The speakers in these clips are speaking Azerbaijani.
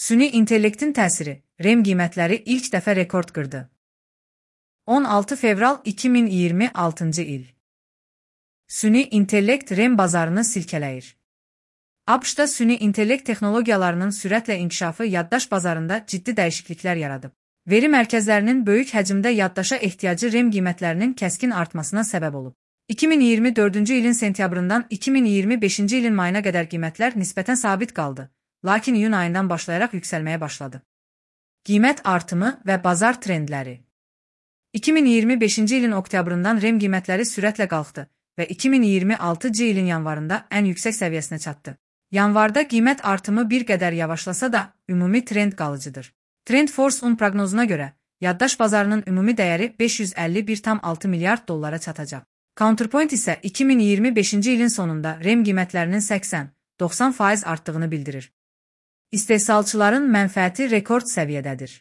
Süni intellektin təsiri, RAM qiymətləri ilk dəfə rekord qırdı. 16 fevral 2026-cı il. Süni intellekt RAM bazarını silkələyir. ABŞ-da süni intellekt texnologiyalarının sürətlə inkişafı yaddaş bazarında ciddi dəyişikliklər yaradıb. Veri mərkəzlərinin böyük həcmdə yaddaşa ehtiyacı RAM qiymətlərinin kəskin artmasına səbəb olub. 2024-cü ilin sentyabrından 2025-ci ilin mayına qədər qiymətlər nisbətən sabit qaldı, lakin iyun ayından başlayaraq yüksəlməyə başladı. Qiymət artımı və bazar trendləri. 2025-ci ilin oktyabrından RAM qiymətləri sürətlə qalxdı və 2026-cı ilin yanvarında ən yüksək səviyyəsinə çatdı. Yanvarda qiymət artımı bir qədər yavaşlasa da, ümumi trend qalıcıdır. TrendForce-un proqnozuna görə, yaddaş bazarının ümumi dəyəri 551,6 milyard dollara çatacaq. Counterpoint isə 2025-ci ilin sonunda RAM qiymətlərinin 80-90% artdığını bildirir. İstehsalçıların mənfəəti rekord səviyyədədir.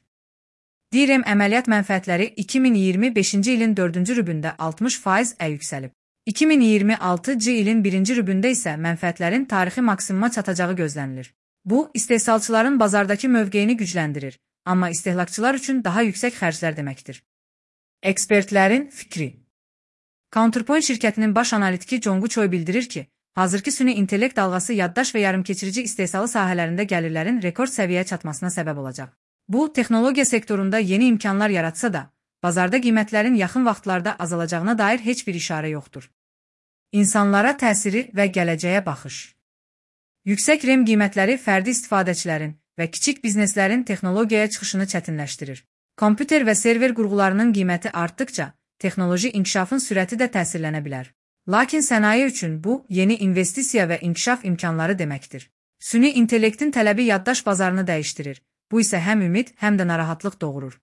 DRAM əməliyyat mənfəətləri 2025-ci ilin 4-cü rübündə 60% yüksəlib. 2026-cı ilin 1-ci rübündə isə mənfəətlərin tarixi maksimuma çatacağı gözlənilir. Bu, istehsalçıların bazardakı mövqeyini gücləndirir, amma istehlakçılar üçün daha yüksək xərclər deməkdir. Ekspertlərin fikri. Counterpoint şirkətinin baş analitiki John Guchoy bildirir ki, hazırki süni intellekt dalğası yaddaş və yarımkeçirici istehsalı sahələrində gəlirlərin rekord səviyyəyə çatmasına səbəb olacaq. Bu, texnologiya sektorunda yeni imkanlar yaratsa da, bazarda qiymətlərin yaxın vaxtlarda azalacağına dair heç bir işarə yoxdur. İnsanlara təsiri və gələcəyə baxış. Yüksək RAM qiymətləri fərdi istifadəçilərin və kiçik bizneslərin texnologiyaya çıxışını çətinləşdirir. Kompüter və server qurğularının qiyməti artdıqca, texnoloji inkişafın sürəti də təsirlənə bilər. Lakin sənaye üçün bu, yeni investisiya və inkişaf imkanları deməkdir. Süni intellektin tələbi yaddaş bazarını dəyişdirir. Bu isə həm ümid, həm də narahatlıq doğurur.